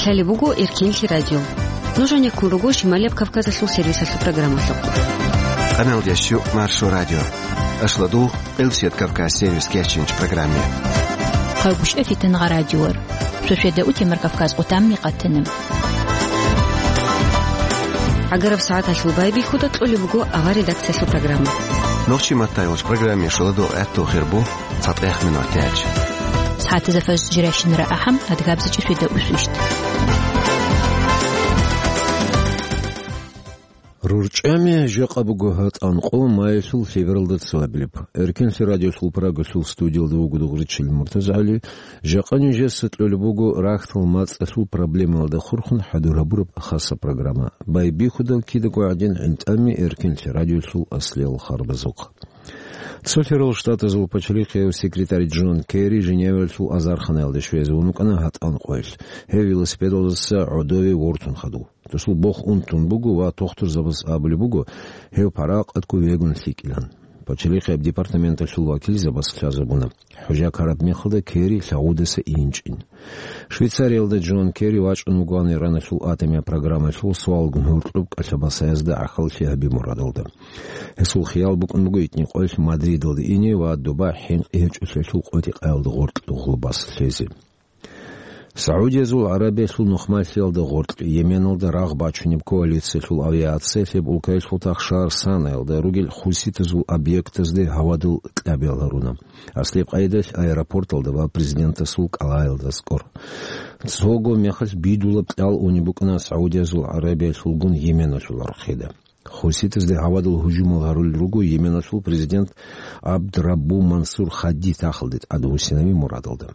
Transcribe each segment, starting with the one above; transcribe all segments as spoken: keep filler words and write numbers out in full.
Лъалеб буго Эркенлъи радио. Нуж гьанеккун руго Шималияб Кавказалъул сервисалъул программалъухъ. Къаналдящу Маршо радио. Ашладул Элсет Кавказ сервис кечинч программе. Хъагушев Фитангъа радиор. Шошеда утемар Кавказ къутамми къатана. ГӀагараб сагӀаталъул байбихьуда кьолеб буго авар редакциялъул программа. Нохчи маттайолч программе шоладо гӀатту хирбу цатӀех минут тяч. СагӀатазда фажр жиращинара ахӀам, адгабзичӀи шведа усвищт. РурчӀами жакъа буго гьатӀан къо майилъул лъебералда цоабилеб. Эркенлъи радиолъул Прагалъул студиялда вуго Дугъричил МуртазагӀали. Жакъа нижеца кьолеб буго рахьтал мацӀалъул проблемаялда хурхун хӀадур гьабураб хаса программа. Байбихьудал кидаго гӀадин гӀинтӀами Эркенлъи радиолъул аслиял харбазухъ. Цо лъерал штатазул пачалихъияв секретарь Джон Керри Женеваялъул азарханаялде щвезе вун вукӀана гьатӀан къоялъ. Гьев велосипедалдаса гӀодове вортун хадув. Досул бох унтун буго ва тухтурзабаз абулеб буго, гьев паракъатго вегун лъикӀилан. Пачалихъияб департаменталъул вакилзабаз лъазабуна, хӀужа ккараб мехалда Керри лъагъудаса инчӀин. Швейцариялда Джон Керри вачӀун вугоан Ираналъул атомияб программалъул суалгун гьоркьоб кӀалъабасаязда гӀахьаллъи гьаби мурадалда. Гьесул хиял букӀун буго итни къоялъ Мадридалде ине ва доба хӀинкъи гьечӀолъиялъул къотӀи-къаялда гъоркь гъулбас лъезе. СагӀудиязул ГӀарабиялъул нухмалъиялда гъоркь Йеменалда рагъ бачунеб коалициялъул авиация лъеб улкаялъул тахшар Санаялда ругел хуситазул объектазде гьавадул кьабиял гьаруна. Аслияб къайдалъ аэропорталда ва президентасул кӀалаялда аскӀор. Цого мехалъ бидулаб кьал унеб букӀана СагӀудиязул ГӀарабиялъулгун Йеменалъул архида. Хуситазде гьавадул гьужумал гьарулел руго Йеменалъул президент Абдраббу Мансур Хадди тахалде тӀадвуссинави мурадалда.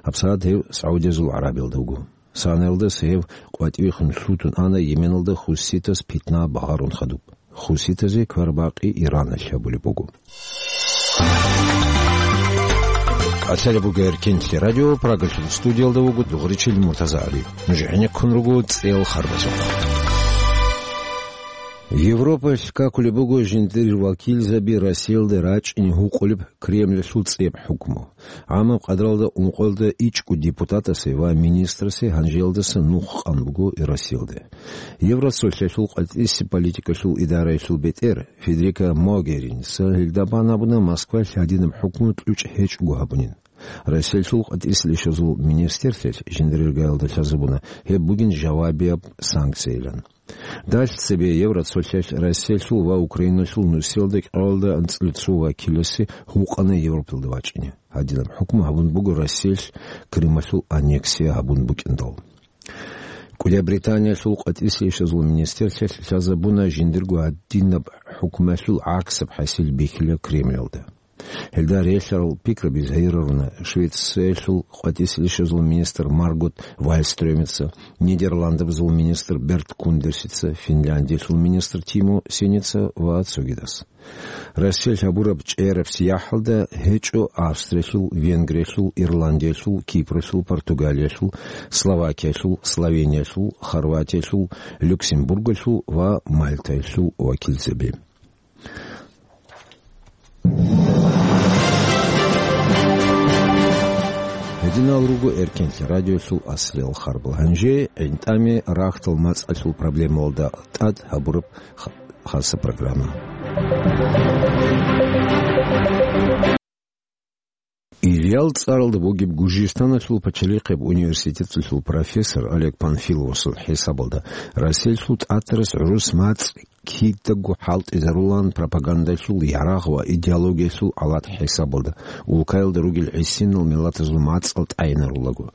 ГьабсагӀат гьев СагӀудиязул ГӀарабиялда вуго. Санаялдаса гьев къватӀивехун лъутун ана Йеменалда хуситас питна багъарун хадуб. Хуситазе квербакъи Ираналъ гьабулеб буго. Лъалеб буго Эркенлъи радио, Прагалъул студиялда вуго Дугъричил МуртазагӀали. Нуж гӀенеккун руго цӀел харбазухъ. Европалъ какулеб буго жиндир вакилзаби Россиялда рачӀине гьукъулеб Кремльалъул цӀеб хӀукму. ГӀамаб къадралда ункъоялда ичӀго депутатасе ва министрасе гьанжеялдаса нух къан буго Россиялда. Евросолъалъул къватӀиси политикалъул идараялъул бетӀер Федерика Могеринса гьелда бан абуна Москвалъ гьадинаб хӀукму кьучӀ гьечӀого гьабунин. Россиялъул къватӀисел ишазул министрлъиялъ жиндир иргаялда лъазабуна гьеб бугин жавабияб санкциялъан. Далъ цебе Евроцолъалъ Россиялъул ва Украиналъул нусиялда кӀалалда анцӀила цо вакиласе гьукъана Европалда вачӀине. Гьадинаб хӀукму гьабун буго Россиялъ Крымалъул аннексия гьабун букӀиндал. КӀудияб Британиялъул къватӀисе ишазул министрлъиялъ лъазабуна жиндирго гьадинаб хӀукмуялъул гӀаксаб хӀасил бихьила Кремльалда. Гьелда релълъарал пикраби загьируна Швециялъул къватӀисе ишазул министр Маргот Вальстрёмица, Нидерландабазул министр Берт Кундерсица, Финляндиялъул министр Тимо Сеница ва цогидас. Россиялъ гьабураб чӀераб сияхӀалда гьечӀо Австриялъул, Венгриялъул, Ирландиялъул, Кипралъул, Португалиялъул, Словакиялъул, Словениялъул, Хорватиялъул, Люксембургалъул ва Мальтаялъул вакилзаби. Гьединал руго Эркенлъи радиолъул аслиял харбал. Гьанже гӀинтӀаме рахьтал мацӀалъул проблемалда тӀад гьабураб ха-, хаса программа. Ильял цӀаралда бугеб Гужистаналъул пачалихъеб университеталъул профессор Олег Панфиловасул хӀисабалда, Россиялъул тӀатарас гӀурус мацӀ кидаго хӀалтӀизарулаан пропагандалъул ярагъ ва идеологиялъул алат хӀисабалда, улкаялда ругел гӀисинал миллатазул мацӀал тӀайинарулаго.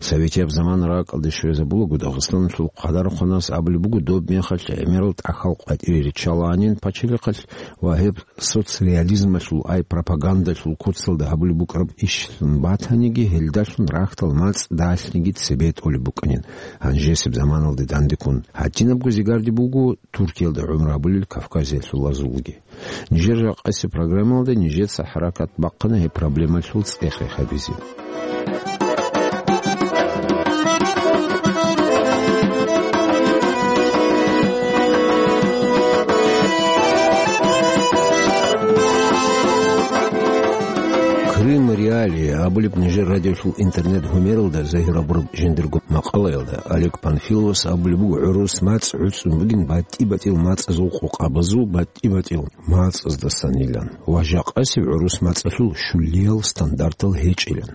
Советияб заман ракӀалде щвезабулаго Дагъистаналъул хъадархъванас абулеб буго, доб мехалъ гӀемерал тӀахьал къватӀире риччалаанин пачалихъалъ ва гьеб соцреализмалъул, ай пропагандалъул куцалда гьабулеб букӀараб ишлъун батаниги, гьелдалъун рахьтал мацӀ далъниги цебе тӀолеб букӀанин. Гьанжесеб заманалде дандеккун гьадинабго зигарде буго Туркиялда гӀумру гьабулел кавказиялъулазулги. Нижер жакъасеб программалда нижеца хӀаракат бахъана гьеб проблемалъул цӀех-рех гьабизе. Рим Реалии абулеб нижер радиолъул интернет-гьумералда загьир гьабураб жиндирго макъалаялда Олег Панфиловас абулеб буго, гӀурус мацӀ гӀуцӀун бугин батӀи-батӀиял мацӀазул къокъабазул батӀи-батӀиял мацӀаздасанилан ва жакъасеб гӀурус мацӀалъул щулиял стандартал гьечӀилан.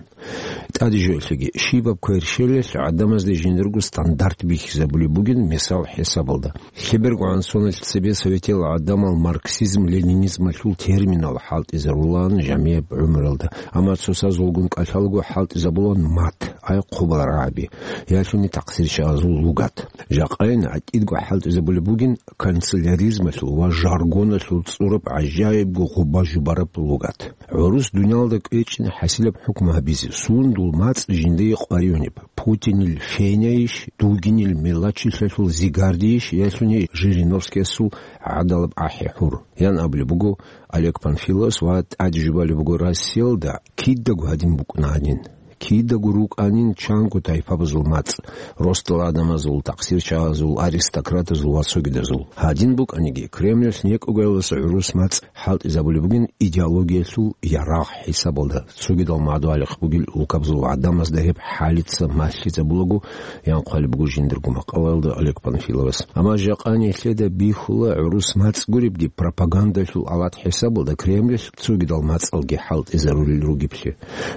ТӀаде жоялъеги, щибаб кверщелалъ гӀадамазде жиндирго стандарт бихьизабулеб бугин, мисал хӀисабалда. ЛъебергогӀан соналъ цебе советиял гӀадамал марксизм-ленинизмалъул терминал хӀалтӀизарулаан жамияб гӀумралда, амма цоцазулгун кӀалъалаго хӀалтӀизабулаан мат, ай хъубал рагӀаби, ялъуни такъсирчагӀазул лугат. Жакъайин гӀатӀидго хӀалтӀизабулеб бугин канцеляризмалъул ва жаргоналъул цӀураб гӀажаибго гъуба-жубараб лугат. ГӀурус дуниялда кӀвечӀин хӀасилаб хӀукму гьабизе, сундул мацӀ жиндие къваригӀунеб, Путинил фенайищ, Дугинил мелачилъалъул зигардийищ, ялъуни Жириновскиясул гӀадалаб ахӀи-хӀур, ян абулеб буго Олег Панфиловас ва тӀаде жубалеб буго, Россиялда кидаго гьадин букӀуна гьанин. Кидаго рукӀанин чанго тайпабазул мацӀ, росдал гӀадамазул, такъсирчагӀазул, аристократазул ва цогидазул. Гьадин букӀаниги, Кремльалъ некӀогоялдаса гӀурус мацӀ хӀалтӀизабулеб бугин идеологиялъул ярагъ хӀисабалда, цогидал мадугьалихъ бугел улкабазул гӀадамазда гьеб хӀалица малъизабулаго, ян хъвалеб буго жиндирго макъалаялда Олег Панфиловас. Амма жакъа нилъеда бихьула гӀурус мацӀ гуребги пропагандалъул алат хӀисабалда Кремльалъ цогидал мацӀалги хӀалтӀизарулел ругеблъи.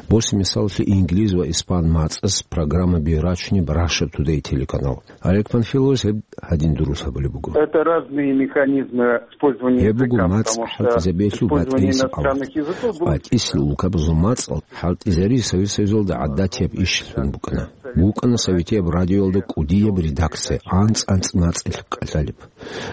Босе мисаллъи инглиз ва испан мацӀас программаби рачунеб Russia Today телеканал. Олег Панфиловас гьеб гьадин дурус гьабулеб буго. Это разные механизмы использования Гьеб буго языка, мацӀ потому что хӀалтӀизабиялъул использование батӀиясеб авлад. иностранных языков было БатӀисел улкабазул мацӀал хӀалтӀизари Совет Союзалда гӀадатияб ишалъун букӀана. БукӀана Советияб радиоялда кӀудияб редакция, анцӀ-анцӀ мацӀалъ кӀалъалеб.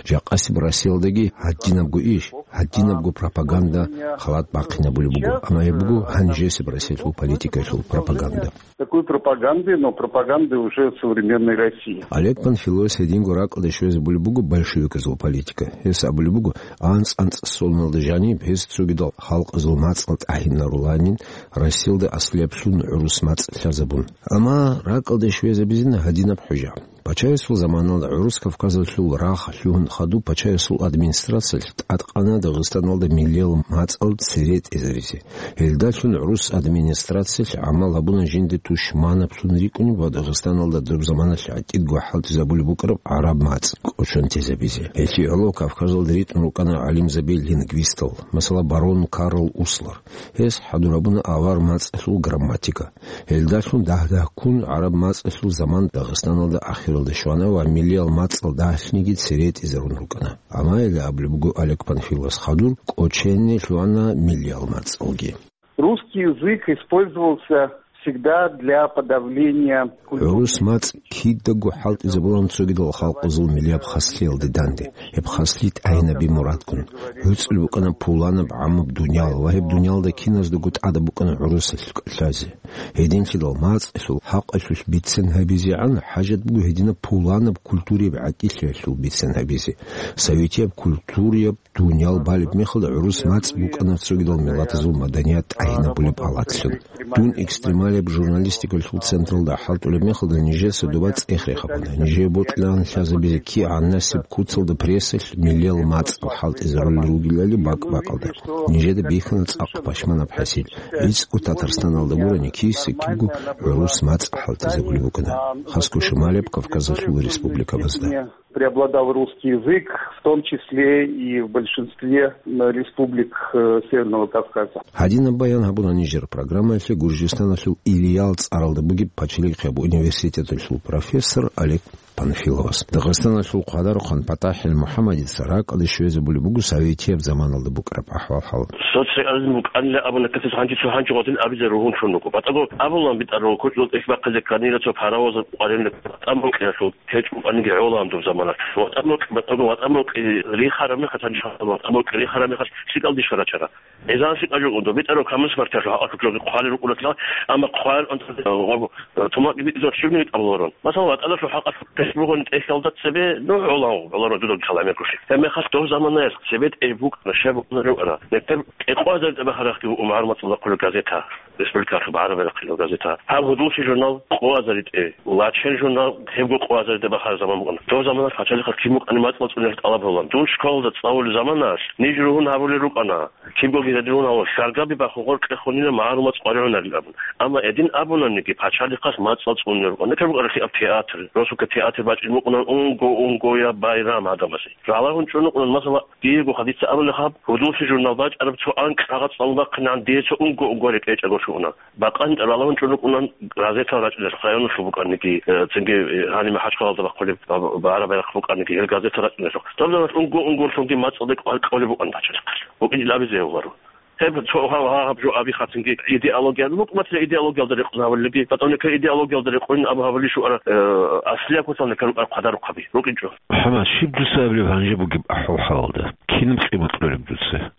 Жакъасеб Россиялдаги гьадинабго иш, гьадинабго пропаганда халат бахъинабулеб буго, амма гьеб буго гьанжесеб Россиялъул политикаялъул пропаганда. Такой пропаганды, но пропаганды уже современной России. Олег Панфиловас гьединго ракӀалде щвезабулеб буго большевиказул политика. Гьес абулеб буго, анцӀ-анцӀ соналда жаниб гьез цогидал халкъазул мацӀал тӀагьинаруланин, Россиялда аслияб лъун гӀурус мацӀ лъазабун. Амма ракӀалде щвезабизина гьадинаб хӀужа. Пачаясул заманалда гӀурус Кавказалъул рагъ лъугьун хадуб пачаясул администрациялъ тӀадкъана Дагъистаналда миллиял мацӀал цере тӀезаризе. Гьелдалъун гӀурус администрациялъ гӀамал гьабуна жинде тушманаблъун рикӀкӀунеб ва Дагъистаналда доб заманалъ гӀатӀидго хӀалтӀизабулеб букӀараб гӀараб мацӀ кӀочон тезабизе. Гьелъие гӀоло Кавказалда ритӀун рукӀана гӀалимзаби-лингвистал, масала, барон Карл Услер. Гьес хӀадур гьабуна авар мацӀалъул грамматика. Гьелдалъун дагь-дагьккун гӀараб мацӀалъул заман Дагъистаналда ахиралде щвана ва миллиял мацӀал дагьлъниги цере тӀезарун рукӀана. Амма гьеле абулеб буго Олег Панфиловас, хадур кӀочене лъугьана миллиял мацӀалги. Русский язык использовался всегда для подавления культурной ГӀурус мацӀ кидаго хӀалтӀизабулан цогидал халкъазул миллияб хаслъиялде данде. Гьеб хаслъи тӀагьинаби мурадгун. ГӀуцӀул букӀана пуланаб гӀаммаб дуниял ва гьеб дуниялда киназдаго тӀадаб букӀана гӀурусалъ кӀалъазе. Гьединлъидал мацӀалъул хӀакъалъулъ бицен гьабизегӀан хӀажат буго гьединаб пуланаб культурияб гӀатӀилъиялъул бицен гьабизе. Советияб культурияб дуниял балеб мехалда гӀурус мацӀ букӀана цогидал миллатазул маданият тӀагьинабулеб алатлъун. Дун экстремалияб журналистикалъул централда хӀалтӀулеб мехалда нижеца доба цӀех рехабуна. Нижее бокьилаан лъазабизе кигӀан насиб куцалда прессалъ миллиял мацӀал хӀалтӀизарулел ругелали бакӀ-бакӀалда. Нижеда бихьана цӀакъ пашманаб хӀасил. ГӀицӀго Татарстаналда гурони киса-кибго гӀурус мацӀ хӀалтӀизабулеб букӀана. Хасго шималияб Кавказалъул республикабазда. Преобладал русский язык, в том числе и в большинстве, м, республик, э, Северного Кавказа. Гьадинаб баян гьабуна нижер программаялъе Гуржистаналъул Илиял цӀаралда бугеб пачалихъияб университеталъул профессор Олег Панфиловас. Дагъистаналъул хъвадарухъан ПатахӀил МухӀаммадица ракӀалде щвезабулеб буго советияб заманалда букӀараб ахӀвал-хӀал. Социализм букӀанила абуна касес гьанже цо гьанже гъотӀин абизе ругьун чун руго. БатӀаго абулан битӀарав кочӀол тӀехь бахъизе кканила цо паровоз къварилъе ВатӀа мукьиялъул. ГьечӀо, кӀванги гӀолан доб замана. ВатӀа мукь, батӀаго ВатӀа мукь рихараб мехалъ, гьанже ВатӀа мукь рихараб мехалъ, лъикӀал дишха рачара. Эзан лъикӀал жо доб битӀарав камусмартиялъул хӀакъалъулъ хъвалел рукӀунатлъа, амма хъвалел тумакӀги битӀизаб щибниги тӀамуларун. Масала, ватӀалъул хӀакъалъулъ тесбугьун тӀехьалда цебе, ну, гӀолан, гӀоларун дудаб калами гуши. Гьеб мехалъ доб заманаялъ цебе тӀе букӀана, щай букӀана рукӀана. Нетер кӀикъоязда тӀабахарахъги умагӀар мацӀалда хъулеб газета. республикалъул багӀараб байрахъ хъилал газета. Гьаб «Гьудуллъи» журнал къо азаритӀе, «Лачен» журнал гьебго къо азаритӀе бахараб заман букӀана. Дов заманалъ пачалихъал кин букӀани мацӀал цӀуниялъ тӀалаб гьабулан. Дун школалда цӀалулел заманалъ ниж ругьун гьабулел рукӀана, кибгоги гьедин гьавал, хьаргаби бахун гъоркье хунина магӀарул мацӀ къваригӀунарил абун. Амма гьедин абунаниги, пачалихъалъ мацӀал цӀунел рукӀана. Нилъер букӀаралъи аб театр, росулъа театр бачӀин букӀунан унго-унгояб байрам гӀадамазе. Ралагьун чӀун рукӀунан, масала, диего хадица абулеб гьаб, «Гьудуллъи» журнал бачӀараб цо анкь кагъат цӀалун бахъинегӀан, дие цо унго-унгояб рекӀечӀого щугьуна. Бакъанин ралагьун чӀун рукӀунан газетал рачӀунелъухъ, районалъул букӀаниги, э, цинги, э, гьаниб МахӀачхъалалда бахъулеб ба-, ба-, багӀараб байрахъ букӀаниги, гьел газета рачӀунелъухъ. Доб заманалъ унго-унгоялъунги мацӀалде кӀвар кьолеб букӀана пачалихъалъ. БукӀинчӀел абизе гьев гьарун. Гьеб цо гьав-, гьаб жо аби хъатинги идеология, букӀматила идеологиялда рекъон гьавулелги, батӀа нилъер идеологиялда рекъон абу гьавулищ вугӀара, э, аслияб куцал нилъер рукӀарал хъвадарухъаби рукӀинчӀо. МухӀаммад, щиб дуца абулеб гьанже бугеб ахӀвал-хӀалалда? Кинаб къимат кьолеб дуца?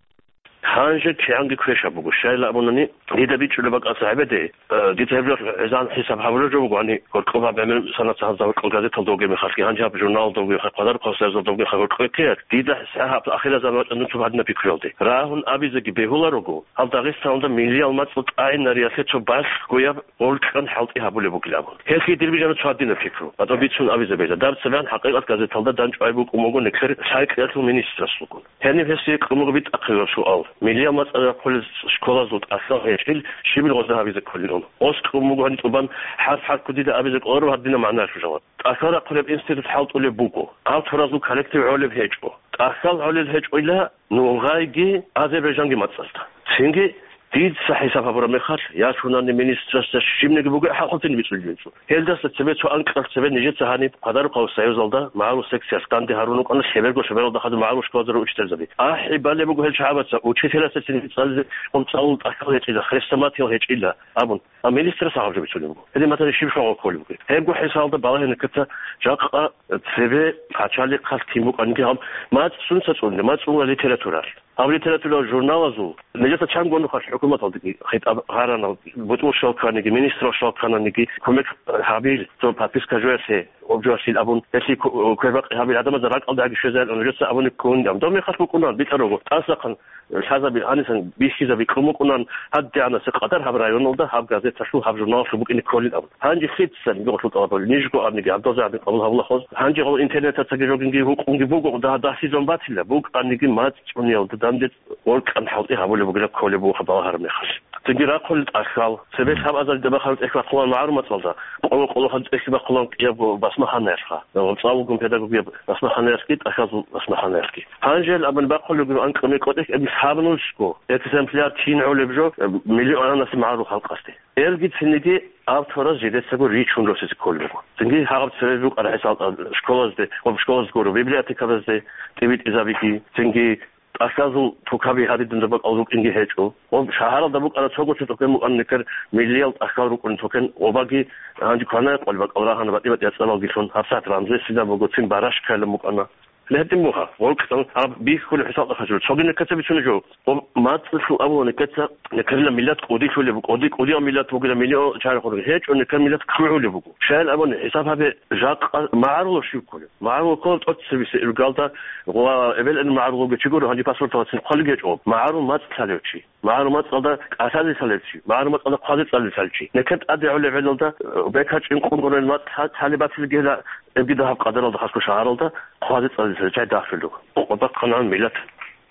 Гьанже кигӀанги квешаб буго. Щайилан абунани, дида бичӀчӀулеб бакӀалъа гьабеде, э, дица гьеб жо гӀезегӀан хӀисаб гьабулеб жо буго, гьаниб гьоркьоб гьаб гӀемер санат гьаб гьоркьоб газеталда вугеб мехалъги, гьанже гьаб журналалда вугеб мехалъ, хъвадарухъ гьесда гьезда вугеб мехалъ гьоркьоб ккеялъ, дида гьеб ахирзаман вачӀана цо гьадинаб пикруялде. Рагьун абизеги бегьуларого, гьаб Дагъистаналда миллиял мацӀал тӀагӀинариялъе цо балъгояб гъоркьан хӀалтӀи гьабулеб бугилан абун. Гьелъие дир бижана цо гьадинаб пикру. БатӀа бицун абизе бегьила. Даб цебегӀан ХӀакъикъат газеталда дандчӀвай букӀун буго нилъер лъай-кьеялъул министрасулгун. Гьениб гьесие кьун буго битӀахъе гьаб суал: миллиял мацӀал рахъулел школазул тӀахьал гьечӀил щибил гъозда гьабизе кколилан? Гъос кьун буго гьаниб тӀубан хӀарп-хӀарпго дида абизе кколаро гьадинаб магӀнаялъул жаваб. ТӀахьал рахъулеб институт хӀалтӀулеб буго. Гьаб торазул коллектив гӀолеб гьечӀо. ТӀахьал гӀолел гьечӀойила нугъайги Азербайджанги мацӀалда. Цинги дица хӀисаб гьабураб мехалъ, я лъунани министрасда щибниги буго хӀакълъун бицунеб жо. Гьелдаса цебе цо анкьалъ цебе нижеца гьаниб Хъвадарухъав союзалда магӀарул секциялъ данде гьарун рукӀана лъеберго-лъебералда хадуб магӀарул школазда ручительзаби. АхӀи балеб буго гьел чагӀабаца, учителасда цинги цӀализе къумцӀалул тӀахьал гьечӀила, хрестоматиял гьечӀила абун. А министрас гьаб жо бицунеб буго. Гьедин батани щиб шагьал кколеб бугеб? Гьебго хӀисалда балагьине ккеца, жакъа цебе пачалихъалъ кин букӀаниги гьаб мацӀ сунца цӀунила, мацӀ цӀунула литературалъ. Гьаб литературал журналазул нижеца чанго нухалъ хӀукуматалдаги хитӀаб гьарана, бутӀрул щал кканиги, министрал щал ккананиги кумек гьабил, цо подписка жоялъе, обжоялъил абун, гьелъие ку-, квербакъи гьабил гӀадамазда ракӀалдаги щвезарилан нижеца абуни ккун гьаб. Доб мехалъ букӀунан битӀарого, тӀасахъан лъазаби, гьанисан бихьизаби кьун букӀунан, гьадигӀанасеб къадар гьаб районалда гьаб газеталъул, гьаб журналалъул букӀине кколин абун. Гьанже лъицаниги гьелъул тӀалабали, нижго абниги гьаб дозе гьабин къабул гьабулахъоз. Гьанже гьал интернетацаги жогинги гьукъунги буго, дагь-дагьлъизун батила, букӀаниги мацӀ цӀуниялда данде гъоркьан хӀалтӀи гьабулеб бугилан кколеб буго хаб балагьараб мехалъ. Цинги рахъулел тӀахьал, цебе лъабазаридаб бахараб тӀехь бахъулан магӀарул мацӀалда, къо-, къолохъан тӀехь бахъулан кӀиябго басмахӀанаялъха, цӀалулгун педагогияб басмахӀанаялъги, тӀахьазул басмахӀанаялъги. Гьанже гьел абун бахъулеб буго анкьа-мекъо тӀехь, гьеб лъабанулсго, экземпляр кин гӀолеб жо, миллионанасе магӀарул халкъалъе. Гьелги цинги автораз жидецаго ричун росизе кколеб буго. Цинги гьаб цебе букӀараб хӀисалда школазде, гьоб школазде гуро, библиотекабазде тӀибитӀизабиги, цинги тӀахьазул тукаби гьадин дунда бакӀал рукӀинги гьечӀо. Ва шагьаралда букӀана цого цо тукан букӀана нилъер миллиял тӀахьал рукӀун тукан, гъобаги гьанже кванаякъал бакӀал рагьана батӀи-батӀи яцӀалалгилъун, гьабсагӀат рамзесилан буго, цин барашкайилан букӀана. Гьедин буго, гъоркьан гьаб бихьулеб хӀисалда хъачӀо. Цоги нилъеца бицунеб жо, гъоб мацӀалъул абула нилъеца, нилъерила миллат кӀудийлъулеб буго, кӀуди-, кӀудияв миллат бугила, миллион чагӀи хурги гьечӀо, нилъер миллат ккугӀулеб буго. Щайилан абуни, хӀисаб гьабе, жакъа магӀарулав щив кколев? МагӀарулав ккола тӀоцебесеб иргалда ва эбел-эмен магӀарулавги чи гуро, гьанже паспорталдацин хъвалеб гьечӀо. МагӀарул мацӀ лъалев чи, магӀарул мацӀалда кӀалъазе лъалев чи, магӀарул мацӀалда хъвазе цӀализе лъалев чи. Нилъер тӀаде гӀолеб гӀелалда, э, бекарчӀин къунгъунел мацӀ лъа-, лъалеб батилгела, эбги дагьаб къадаралда хасго шагьаралда хъвазе цӀализе лъалев чи дагьлъулев. Къо-, къо бахъана миллат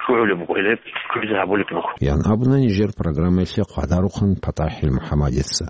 ккугӀулеб буго, гьеле кквезе гьабулеб буго. Ян абуна нижер программаялъе хъвадарухъан ПатӀахӀил МухӀаммадица.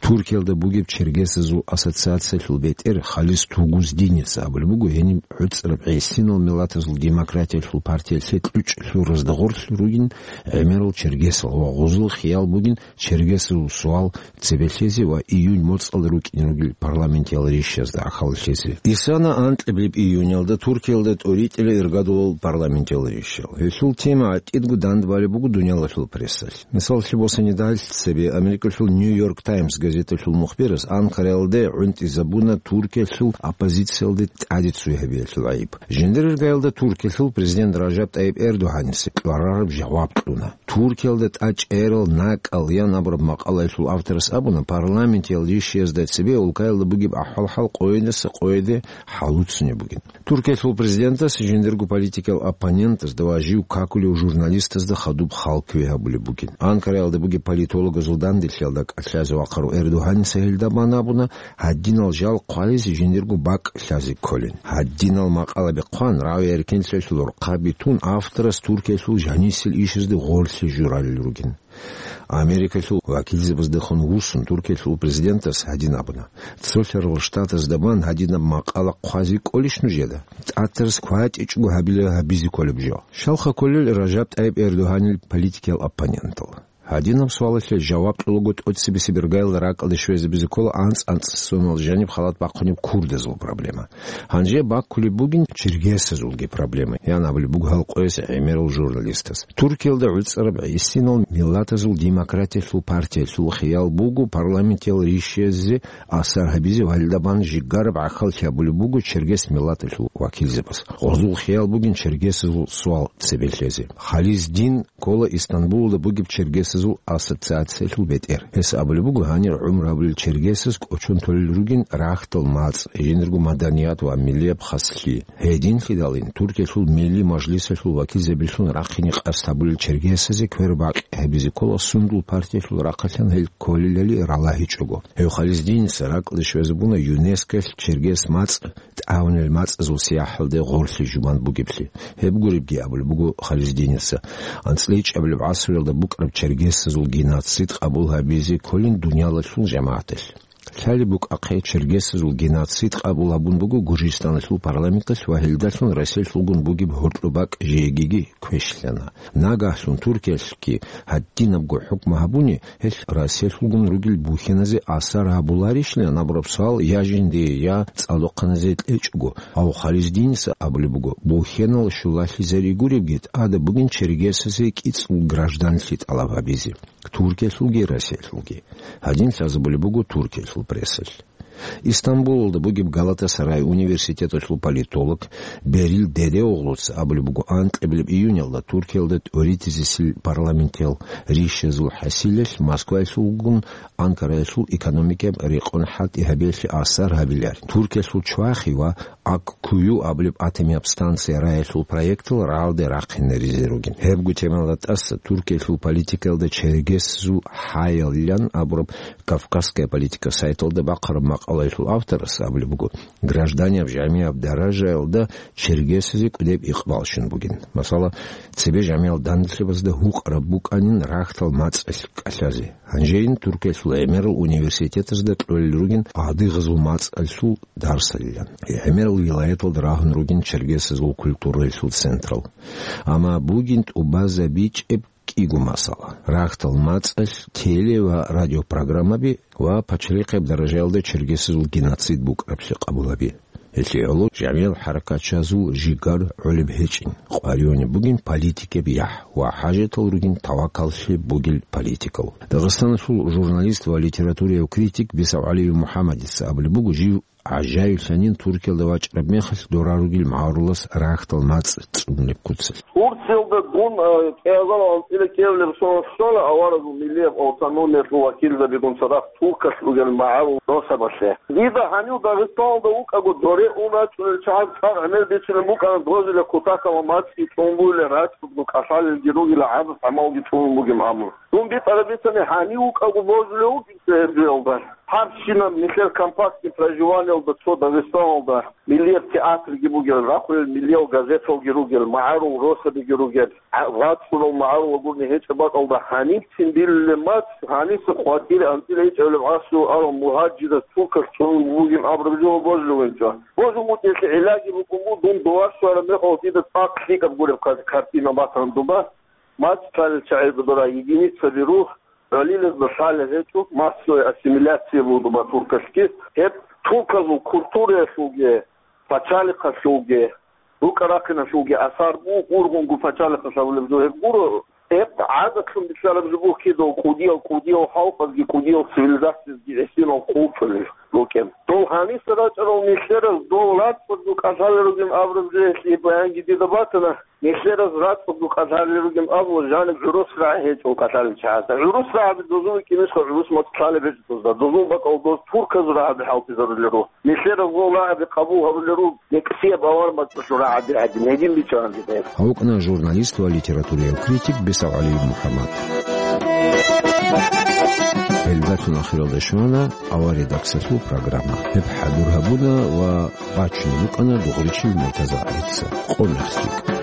Туркиялда бугеб чергесазул ассоциациялъул бетӀер Халис Тугуздинец абулеб буго, гьениб гӀуцӀраб гӀисинал миллатазул демократиялъул партиялъе кьучӀ лъуразда гъорлъ ругин гӀемерал чергесал ва гъозул хиял бугин чергесазул суал цебе лъезе ва июнь моцӀалда рукӀине ругел парламентиял ришазда гӀахьаллъизе. Исана анкьабилеб июньалда Туркиялда тӀоритӀила иргадулал парламентиял ришал. Гьелъул тема гӀатӀидго дандбалеб буго дуниялалъул прессалъ. Мисаллъи босани, дагьалъ цебе Америкалъул Нью-Йорк «Таймс» газеталъул мухбирас Анкараялде гӀунтӀизабуна Туркиялъул оппозициялде тӀаде цой гьабиялъул гӀайиб. Жиндир иргаялда Туркиялъул президент Ражаб ТӀайиб Эрдогьаниса кьварараб жаваб кьуна. «Туркиялда тӀад чӀерал накӀкӀал» ян абураб макъалаялъул авторас абуна, парламентиял ришиязда цебе улкаялда бугеб ахӀвал-хӀал къойидаса къойиде хӀалуцунеб бугин. Туркиялъул президентас жиндирго политикиял оппонентазда ва жив какулев журналистазда хадуб халкуе гьабулеб бугин. Анкараялда бугеб политологазул данделъиялда кӀалъазе вахъарав Эрдогьаниса гьелда бан абуна, гьадинал жал хъвализе жиндирго бакӀ лъазе кколин. Гьадинал макъалаби хъван, рагӀи-эркенлъиялъул рхъаби тун, авторас Туркиялъул жанисел ишазде гъорлъе журалел ругин. Америкалъул вакилзабаздехун вуссун, Туркиялъул президентас гьадин абуна: «Цолъарал Штатазда бан гьадинаб макъала хъвазе кӀолищ нужеда? ТӀатарас кватӀичӀого гьабила гьабизе кколеб жо». Щалха кколел Ражаб ТӀайиб Эрдогьанил политикиял оппонентал? Гьадинаб суалалъе жаваб кьолаго тӀоцебесеб иргаялда ракӀалде щвезабизе ккола анцӀ-анцӀ сонал жаниб халат бахъунеб курдазул проблема. Гьанже баккулеб бугин чергесазулги проблема, ян абулеб буго гьал къояс гӀемерал журналистас. Туркиялда гӀуцӀараб гӀисинал миллатазул демократиялъул партиялъул хиял буго парламентиял ришиязде асар гьабизе ва гьелда бан жигараб гӀахьаллъи гьабулеб буго чергес миллаталъул вакилзабаз. Гъозул хиял бугин чергесазул суал цебе лъезе. Хализдин ккола Истанбулалда бугеб чергесазул ассоциациялъул бетӀер. Гьес абулеб буго, гьанир гӀумру гьабулел чергесаз кӀочон толел ругин рагьтал мацӀ, жиндирго маданият ва миллияб хаслъи. Гьединлъидалин Туркиялъул Милли мажлисалъул вакилзабилъун рахъине къасд гьабулел чергесазе квербакъи гьабизе ккола сундул партиялъул рахъалъан гьел кколелали ралагьичӀого. Гьев Хализдиниса ракӀалде щвезабуна ЮНЕСКОялъ чергес мацӀ тӀагӀунел мацӀазул сияхӀалде гъорлъе жубан бугеблъи. Гьеб гуребги абулеб буго Хализдиниса, анцӀила ичӀабилеб гӀасруялда букӀараб чергесазул геноцид къабул гьабизе кколин дуниялалъул жамагӀаталъ. Лъалеб букӀахъе, чергесазул геноцид къабул гьабун буго Гуржистаналъул парламенталъ ва гьелдалъун Россиялъулгун бугеб гьоркьоб бакӀ жегиги квешлъана. Нагагьлъун Туркиялъги гьадинабго хӀукму гьабуни, гьелъ Россиялъулгун ругел бухьеназе асар гьабуларищилан абураб суал я жиндие, я цӀалдохъаназе кьечӀого. Гьав Хализдиниса абулеб буго, бухьенал щулалъизари гуребги, тӀада бугин чергесазе кӀицӀул гражданлъи тӀалаб гьабизе. Туркиялъулги Россиялъулги. Гьадин лъазабулеб буго Туркиялъул прессалъ. Истанбулалда бугеб Галатасарай университеталъул политолог Берил Дедеоглуца абулеб буго, анкьабилеб июнялда Туркиялда тӀоритӀизесил парламентиял ришазул хӀасилалъ Москваялъулгун Анкараялъул экономикаб рекъон хӀалтӀи гьабиялъе асар гьабиларин. Туркиялъул чвахи ва Аккую абулеб атомияб станция раялъул проектал рагӀалде рахъинаризе ругин. Гьебго темалда тӀаса Туркиялъул политикаялда чергесазул хӀаялилан абураб «Кавказская политика» сайталда бахъараб макъалаялъул авторас абулеб буго, гражданияб жамияб даражаялда чергесазе кӀудеб икъбал щун бугин. Масала, цебе жамиял данделъабазда гьукъараб букӀанин рагьтал мацӀалъ кӀалъазе. Гьанжейин Туркиялъул гӀемерал университетазда кьолел ругин адыгъазул мацӀалъул дарсалилан. ГӀемерал вилаяталда рагьун ругин чергесазул культураялъул централ. Амма бугин тӀубазабичӀеб кӀиго масала: рагьтал мацӀалъ теле- ва радиопрограммаби ва пачалихъеб даражаялда чергесазул геноцид букӀараблъи къабулаби. Гьелъие гӀоло жамиял хӀаракатчазул жигар гӀолеб гьечӀин, къваригӀунеб бугин политикеб яхӀ ва хӀажатал ругин тавакаллъи бугел политикал. Дагъистаналъул журналист ва литературияв критик БесагӀалиев МухӀаммадица абулеб буго, жив гӀажаиблъанин Туркиялда вачӀараб мехалъ дора ругел магӀарулас рагьтал мацӀ цӀунилеб куцалъ. Турциялда дун, э, кӀиазал анцӀила кӀиабилеб соналъ щвана аварагасул миллияб автономиялъул вакилзабигун цадахъ Туркалъ ругел магӀарул росабалъе. Дида гьанив Дагъистаналда вукӀаго доре ун рачӀунел чагӀаз цӀакъ гӀемер бицунеб букӀана дозуле кутакалда мацӀги цӀунгуйилан рачӀунго кӀалъалелги ругила гӀадат гӀамалги цӀунун бугеб гӀамру. Дун битӀараб бицани, гьанив вукӀаго божулев вугин цо гьеб жоялда. Гьабщинаб нилъер компактный проживаниялда цо Дагъистаналда миллияб театрги бугел, рахъулел миллиял газеталги ругел, магӀарул росабиги ругел, гӀа-, вацӀцӀурал магӀарул гурни гьечӀеб бакӀалда гьанибцин билулеб мацӀ, гьаниса хватире анцӀила гьечӀебилеб гӀасру арал мугьаджирас туркалъ цӀунун бугин абураб жо божулев вугин цо. Божун вукӀиналъе гӀиллаги букӀун буго, дун дова щвараб мехалъ дида цӀакъ лъикӀаб гуреб кар-, картина батана дуба. МацӀ лъалел чагӀазда дора единицаби руго, гьалилазда лъалел гьечӀо, массовая ассимиляция буго дуба туркалъги. Гьеб турказул культураялъулги, пачалихъалъулги, рукӀа-рахъиналъулги асар буго, ургъунгу пачалихъалъ абулеб жо гьеб гуро, Гьеб гӀадатлъун бицараб жо буго кидал кӀудиял, кӀудиял халкъазги, кӀудиял цивилизациязги гӀисинал хъулчӀулел рукӀин. Дол гьаниса рачӀарал нилъераз дол рацӀцӀадго кӀалъалел ругин абураб жо гьелъие баянги дида батана. Нилъераз рацӀцӀадго кӀалъалел ругин абула, жаниб гӀурус рагӀи гьечӀо кӀалъалел чагӀазда. ГӀурус рагӀаби дозул рукӀинесха гӀурус мацӀ лъалеб гьечӀо дозда. Дозул бакӀал доз турказул рагӀаби хӀалтӀизарулел руго. Нилъераз гъол рагӀаби къабул гьабулел руго, нексияб авар мацӀалъул рагӀаби гӀадин, гьедин бичӀчӀана дида гьеб. Гьавукьна журналист ва литературияв критик БесагӀалиев МухӀаммад. Гьелдалъун ахиралда щвана авария даксалъул программа. Гьеб хӀадур гьабуна ва бачун букӀана Дугъричил МуртазагӀица. Къо мехлъи.